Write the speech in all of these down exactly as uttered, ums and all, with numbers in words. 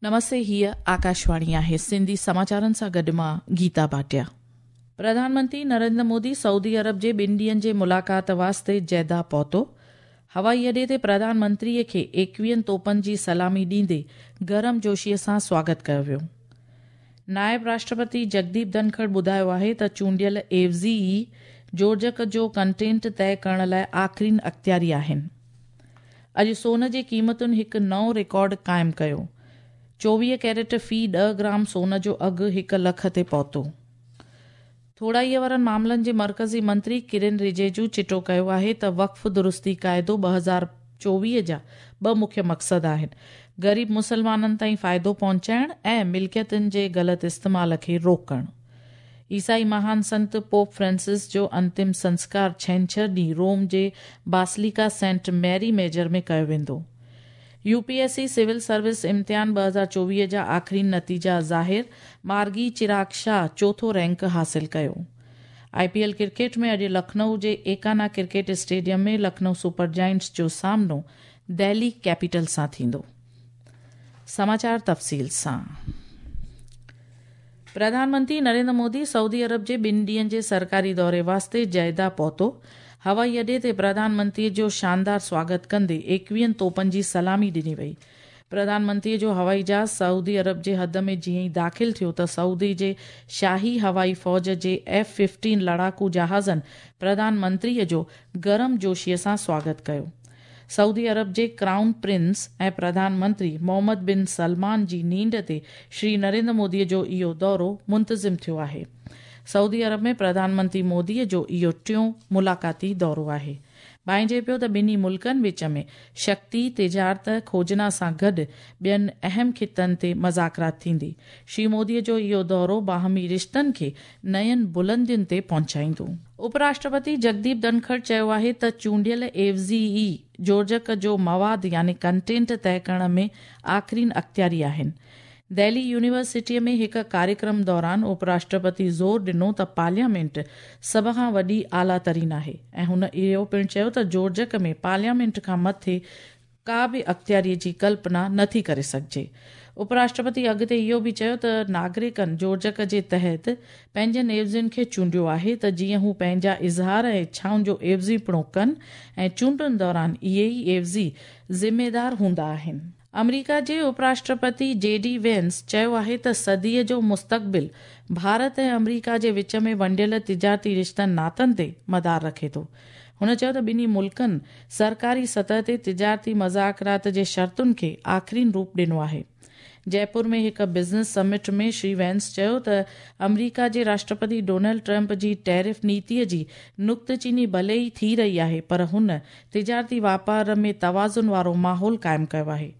नमस्ते, हीअ आकाशवाणी आहे। सिंधी समाचारनि सां गॾु मां गीता भाटिया। प्रधानमंत्री नरेंद्र मोदी सऊदी अरब जे ॿिनि ॾींहंनि जे मुलाक़ात वास्ते जैदा पहुतो। हवाई अॾे ते प्रधानमंत्रीअ खे एकवीहनि तोपनि जी सलामी ॾींदे गरम जोशीअ सां स्वागत कयो वियो। नायब राष्ट्रपति जगदीप धनखड़ ॿुधायो आहे त चूंडियल एवज़ी ई जोड़जक जो कंटेंट तय करण लाइ आख़िरीन अख़्तियारी आहिनि। अॼु सोन जी क़ीमतुनि हिकु नओं रिकॉर्ड क़ाइमु कयो। चोवीह कैरेट फ़ी ॾह ग्राम सोन जो अघु हिकु लख ते पहुतो। थोड़ाईअ वारनि मामलनि जे मर्कज़ी मंत्री किरण रिजिजू चिटो कयो आहे त वक़्फ़ दुरुस्ती काइदो ॿ हज़ार चोवीह जा ॿ मुख्य मक़सद आहिनि, ग़रीब मुसलमाननि ताईं फ़ाइदो पहुचाइण ऐं मिल्कियतुनि जे ग़लति इस्तेमाल खे रोकणु। ईसाई महान संत पोप फ्रांसिस जो अंतिम संस्कार छेंछर ॾींहुं रोम जे बासिलिका सेंट मैरी मेजर में कयो वेंदो। यूपीएससी सिविल सर्विस इम्तिहान ॿ हज़ार चोवीह जा आख़िरी नतीजा ज़ाहिर, मार्गी चिराग शाह चोथों रैंक हासिल कयो। आईपीएल क्रिकेट में अॼु लखनऊ जे Ekana cricket stadium में लखनऊ सुपर जायंट्स जो सामनो दिल्ली कैपिटल सां थींदो। समाचार तफ़सील सां। प्रधानमंत्री नरेंद्र मोदी सऊदी अरब जे ॿिनि ॾींहंनि जे सरकारी दौरे वास्ते जैदा पहुतो। हवाई अॾे ते प्रधानमंत्रीअ जो शानदार स्वागत कंदे एकवीहनि तोपनि जी सलामी ॾिनी वई। प्रधानमंत्रीअ जो हवाई जहाज़ सऊदी अरब जे हद में जीअं ई दाख़िल थियो त सऊदी जे शाही हवाई फ़ौज जे एफ फिफ्टीन लड़ाकू जहाज़नि प्रधानमंत्रीअ जो गरम जोशीअ सां स्वागत कयो। सऊदी अरब जे क्राउन प्रिंस ऐं प्रधानमंत्री मोहम्मद बिन सलमान जी नींड ते श्री नरेंद्र मोदीअ जो इहो दौरो मुंतज़िम थियो आहे। सऊदी अरब में प्रधानमंत्री मोदीअ जो इहो टियों मुलाक़ाती दौरो आहे। भाइजे पियो त ॿिन्ही मुल्कनि विच में शक्ति, तिजारत, खोजना सां गॾु ॿियनि अहम ख़ितनि ते मज़ाकरात थींदी। श्री मोदीअ जो इहो दौरो बाहमी रिश्तनि खे नयनि बुलंदियुनि ते पहुचाईंदो। उपराष्ट्रपति जगदीप धनखड़ चयो आहे त चूंडियल एवज़ी ई जोड़जक जो मवाद यानी कंटेंट तय करण में आख़िरीन अख़्तियारी आहिनि। दिल्ली यूनिवर्सिटीअ में हिकु कार्यक्रम दौरान उपराष्ट्रपति ज़ोर ॾिनो त पार्लियामेंट सभ खां वॾी आला तरीन आहे ऐं हुन इहो पिणु चयो त जोड़जक में पार्लियामेंट खां मथे का बि अख़्तियारीअ जी कल्पना नथी करे सघिजे। उपराष्ट्रपति अॻिते इहो बि चयो त नागरिकनि जोड़जक जे तहत पंहिंजनि एवज़ियुनि खे चूंडियो आहे त जीअं हू पंहिंजा इज़हार ऐं इच्छाउनि जो एवज़ीपणो कनि ऐं चूंडुनि दौरान इहे ई एवज़ी ज़िम्मेदार हूंदा आहिनि। अमरीका जे उपराष्ट्रपति जे डी वेंस चयो आहे त सदीअ जो मुस्तक़बिल भारत ऐं अमरीका जे विच में वंडियल तिजारती रिश्तनि नातनि ते मदार रखे थो। हुन चयो त ॿिन्ही मुल्कनि सरकारी सतह ते तिजारती मज़ाकरात जे शर्तुनि खे आख़िरीन रूप ॾिनो आहे। जयपुर में हिकु बिज़नेस समिट में श्री वेंस चयो त अमरीका जे राष्ट्रपति डोनाल्ड ट्रंप जी टैरिफ नीतीअ जी नुक्तचीनी भले ई थी रही आहे, पर हुन तिजारती वापार में तवाज़ुन वारो माहौल क़ाइमु कयो आहे।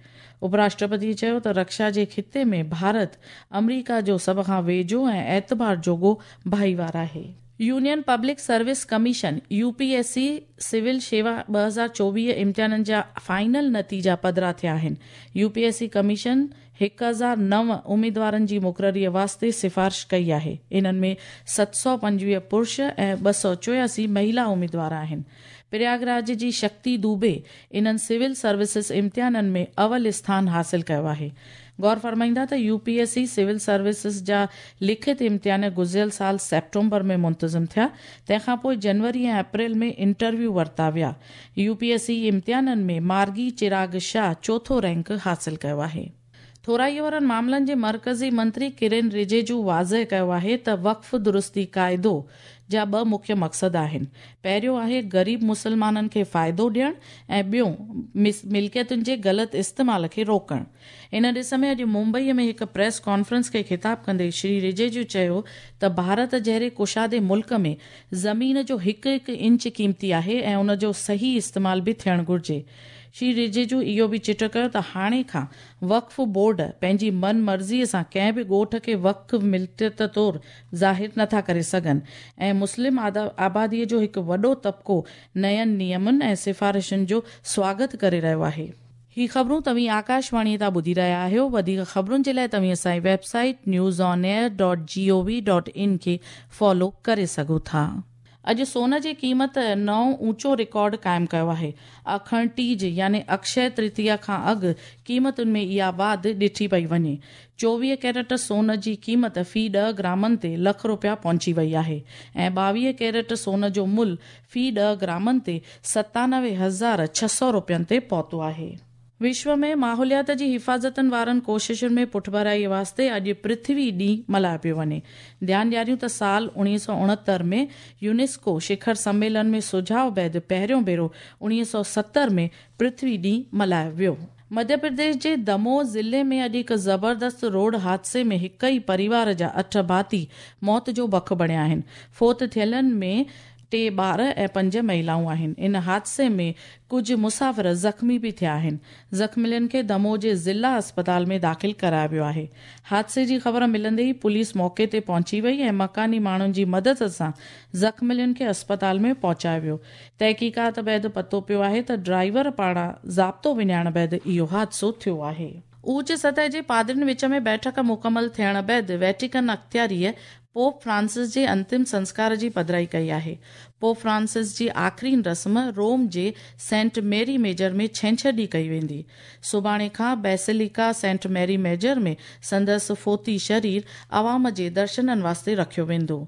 उपराष्ट्रपति चयो त रक्षा जे ख़िते में भारत अमरीका जो सभ खां वेझो ऐं एतबार जोॻो भाईवार आहे। Union public service commission UPSC civil शेवा ॿ हज़ार चोवीह इम्तिहाननि जा फाइनल नतीजा पधरा थिया आहिनि। यूपीएससी कमीशन हिकु हज़ार नव उमेदवारनि जी मुक़ररीअ वास्ते सिफारिश कई आहे। इन्हनि में सत सौ पंजवीह पुरुष ऐं ॿ सौ चोयासी महिला उमेदवार आहिनि। प्रयागराज जी शक्ति दुबे इन्हनि सिविल सर्विसिस इम्तिहाननि में अवल स्थान हासिल कयो आहे। गौर फरमाईंदा त यूपीएससी सिविल सर्विसिस जा लिखित इम्तिहान गुज़िरियल साल सेप्टेम्बर में मुंतज़िम थिया, तंहिंखां पोइ जनवरी ऐं अप्रैल में इंटरव्यू वरिता विया। यूपीएससी इम्तिहाननि में मार्गी चिराग शाह चोथों रैंक हासिल कयो आहे। थोराईअ वारनि मामलनि जे मर्कज़ी मंत्री किरण रिजिजू वाज़ेह कयो आहे त वक़्फ़ दुरुस्ती काइदो जा ॿ मुख्य मक़सद आहिनि। पहिरियों आहे ग़रीब मुसलमाननि खे फ़ाइदो ॾियणु ऐं ॿियो मिल्कियतुनि जे ग़लति इस्तेमाल खे रोकणु। इन ॾिस में अॼु मुंबईअ में हिकु प्रेस कॉन्फ्रेंस खे ख़िताब कंदे श्री रिजिजू चयो त भारत जहिड़े कुशादे मुल्क में ज़मीन जो हिकु हिकु इंच क़ीमती आहे ऐं उन जो सही इस्तेमाल बि थियणु घुरिजे। श्री रिजिजू इहो बि चिटो कयो त हाणे खां वक़्फ़ बोर्ड पंहिंजी मन मर्ज़ीअ सां कंहिं बि ॻोठ खे वक़्फ़ मिल्कियत तौरु ज़ाहिर नथा करे सघनि ऐं मुस्लिम आबादीअ जो हिकु वॾो तबिको नयनि नियमनि ऐं सिफारिशुनि जो स्वागत करे रहियो आहे। ही ख़बरूं तव्हीं आकाशवाणीअ तां ॿुधी रहिया आहियो। वधीक ख़बरुनि जे लाइ तव्हीं असांजी website news on air dot G O V dot in खे फॉलो करे सघो था। اڄ سون جي قيمت نئون اوچو رڪارڊ قائم ڪيو آهي. اکڻ ٽيج يعني اڪشي ترتيا کان اڳ قيمتن ۾ اها واڌ ڏٺي پئي وڃي. چوويهه ڪيرٽ سون جي قيمت في ڏهه گرامن تي لک رپيا پهچي وئي آهي ۽ ٻاويهه ڪيرٽ سون جو ملهه في ڏهه گرامن تي ستانوي هزار ڇهه سؤ رپين تي پهتو آهي. وشو ۾ ماحوليات جي حفاظتن وارن ڪوششن ۾ پٺڀرائي واسطي اڄ پرٿوي ڏينهن ملهايو پيو وڃي. ڌيان ڏياريون ته سال اڻويهه سؤ اڻهتر ۾ يونيسڪو شکر سميلن ۾ سجهاءُ بعد پهريون ڀيرو اڻويهه سؤ ستر ۾ پرٿوي ڏينهن ملهايو ويو. مڌيه پرديش جي دموهه ضلعي ۾ اڄ هڪ زبردست روڊ حادثي ۾ هڪ ئي پريوار جا اٺ ڀاتي موت جو بک بڻيا آهن. فوت ٿيلن ۾ ٽي ٻار ۽ پنج مهلائون آهن. ان حادثي ۾ ڪجهه مسافر زخمي به ٿيا آهن. زخمين کي دموهه جي ضلع اسپتال ۾ داخل ڪرايو ويو آهي. حادثي جي خبر ملندي ئي پوليس موقعي تي پهچي وئي ۽ مڪاني ماڻهن جي مدد سان زخمين کي اسپتال ۾ پهچايو ويو. تحقيقات بعد پتو پيو آهي ته ڊرائيور پاران ضابطو وڃائڻ بعد اهو حادثو ٿيو آهي. اوچ سطح جي پادرين وچ ۾ بيٺڪ مڪمل ٿيڻ بعد ويٽيڪن اختياريء پوپ فرانسس جي انتم سنسڪار جي پڌرائي ڪئي آهي. پوپ فرانسس جي آخرين رسم روم جي سينٽ ميري ميجر ۾ ڇنڇر ڏينهن ڪئي ويندي. سڀاڻي کان بيسيليڪا سينٽ ميري ميجر ۾ سندس فوتي شرير عوام جي درشنن واسطي رکيو ويندو.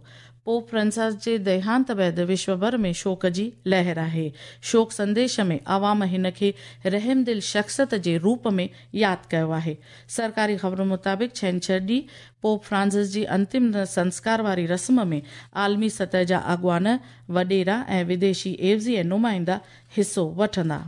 پوپ فرانسس جي ديهانت بعد وشو ڀر ۾ شوڪ جي لهر آهي. شوڪ سنديش ۾ عوام هن کي رحمدل شخصيت جي روپ ۾ ياد ڪيو آهي. سرڪاري خبرن مطابق ڇنڇر ڏينهن پوپ فرانسس جي انتم سنسڪار واري رسم ۾ عالمي سطح جا اڳواڻ، وڏيرا ۽ وديشي عيوضي ۽ نمائندا حصو وٺندا.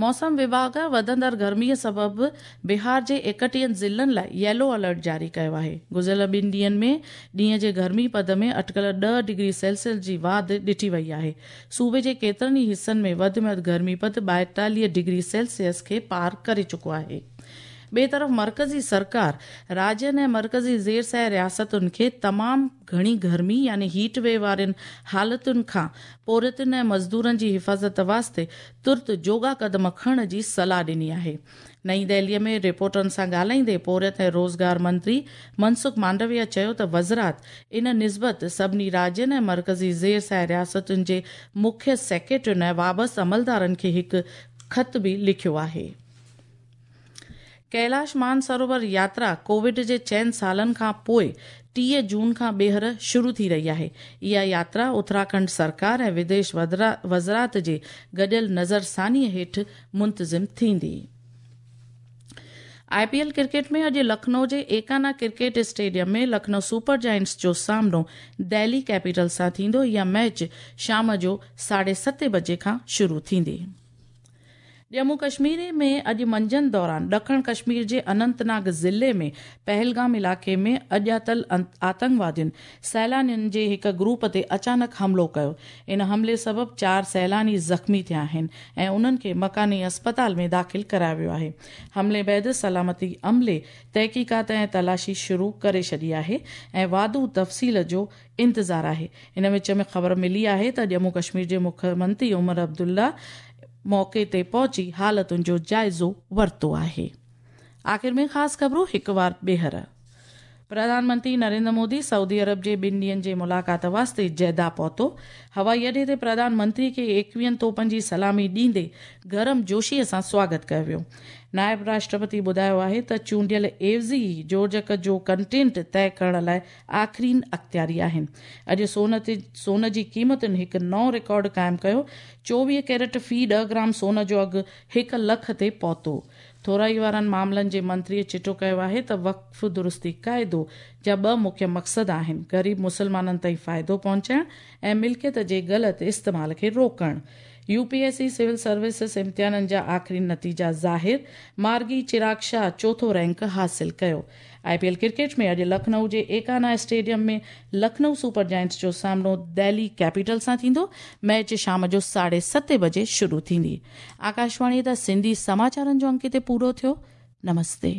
موسم وڀاڳ وڌندڙ گرميءَ سبب بهار جي ايڪٽيهن ضلعن لاءِ ييلو الرٽ جاري ڪيو آهي. گذريل ٻن ڏينهن ۾ ڏينهن جي گرمي پد ۾ اٽڪل ڏهه ڊگري سيلسيس جي واڌ ڏٺي وئي آهي. صوبي جي ڪيترن ئي حصن ۾ وڌ ۾ وڌ گرمي پد ٻائيتاليهه ڊگري سيلسيس کي پار ڪري چڪو آهي. ٻئي طرف مرڪزي سرڪار راجين ۽ مرڪزي زير سايه رياستن کي تمام گهڻي گرمي يعني هيٽ ويو وارين حالتن کان پورهيتن ۽ مزدورن جي حفاظت واسطي ترت جوڳا قدم کڻڻ جي صلاح ڏني آهي. نئين دهليءَ ۾ رپورٽرن سان ڳالهائيندي پورهيت ۽ روزگار منتري منسک مانڊويا چيو ته وزارت ان نسبت سڀني راجين ۽ مرڪزي زير سايه رياستن جي مکيه سيڪريٽرين ۽ وابسته عملدارن کي هڪ خط به لکيو آهي. ڪيلاش مانسروور ياترا ڪووڊ جي چئن سالن کان پوءِ ٽيهه جون کان ٻيهر شروع ٿي رهي آهي. اها ياترا اتراکنڊ سرڪار ۽ وديش وزارت جي گڏيل نظرثانيءَ هيٺ منتظم ٿيندي. I P L cricket ۾ اڄ لکنؤ جي Ekana cricket stadium ۾ Lucknow super giants جو سامنو دهلي ڪيپيٽل سان ٿيندو. اها ميچ شام جو ساڍي ستين بجي کان شروع ٿيندي. ڄمون ڪشمير ۾ اڄ منجهند دوران ڏکڻ ڪشمير جي اننتناگ ضلعي ۾ پهلگام علائقي ۾ اڄاتل آتنڪوادين سيلانين جي هڪ گروپ تي اچانڪ حملو ڪيو. ان حملي سبب چار سيلاني زخمي ٿيا آهن ۽ انهن کي مڪاني اسپتال ۾ داخل ڪرايو ويو آهي. حملي بعد سلامتي عملي تحقيقات ۽ تلاشي شروع ڪري ڇڏي آهي ۽ واڌو تفصيل جو انتظار آهي. ان وچ ۾ خبر ملي آهي ته ڄمون ڪشمير جي مکيه منتري عمر عبدالله موقعي تي پهچي حالتن جو جائزو ورتو آهي. آخر ۾ خاص خبرون هڪ وار ٻيهر. پرڌان منتري نريندر مودي سعودي عرب جي ٻن ڏينهن جي ملاقات واسطي جيدا پهتو. هوائي اڏي تي پرڌان منتري کي ايڪويهن توپن جي سلامي ڏيندي گرم جوشيءَ سان سواگت ڪيو ويو. نائب راشٽرپتي ٻڌايو آهي ته چونڊيل عيوضي جوڙجڪ جو ڪنٽينٽ طئي ڪرڻ لاءِ آخرين اختياري آهن. اڄ سون تي سون جي قيمتن هڪ نئون رڪارڊ قائم ڪيو. چوويهه ڪيرٽ في ڏهه گرام سون جو اگهه هڪ لک تي پهتو. ٿورائي وارن معاملن جي منتريءَ چٽو ڪيو آهي ته وقف درستي قاعدو جا ٻه مکيه مقصد آهن، غريب مسلمانن تائين فائدو پهچائڻ ۽ ملڪيت جي غلط استعمال کي روڪڻ. U P S C civil services امتحانن جا آخري نتيجا ظاهر. مارگي چراغ شاهه چوٿون رينڪ حاصل ڪيو. I P L cricket ۾ اڄ لکنؤ جي ايڪانا اسٽيڊيم ۾ لکنؤ سپر جائنٽس جو سامنو دهلي ڪيپيٽل سان ٿيندو. ميچ شام جو ساڍي ستين بجي شروع ٿيندي. آڪاشواڻي تان سنڌي سماچارن جو انڪ هتي پورو ٿيو. نمستي.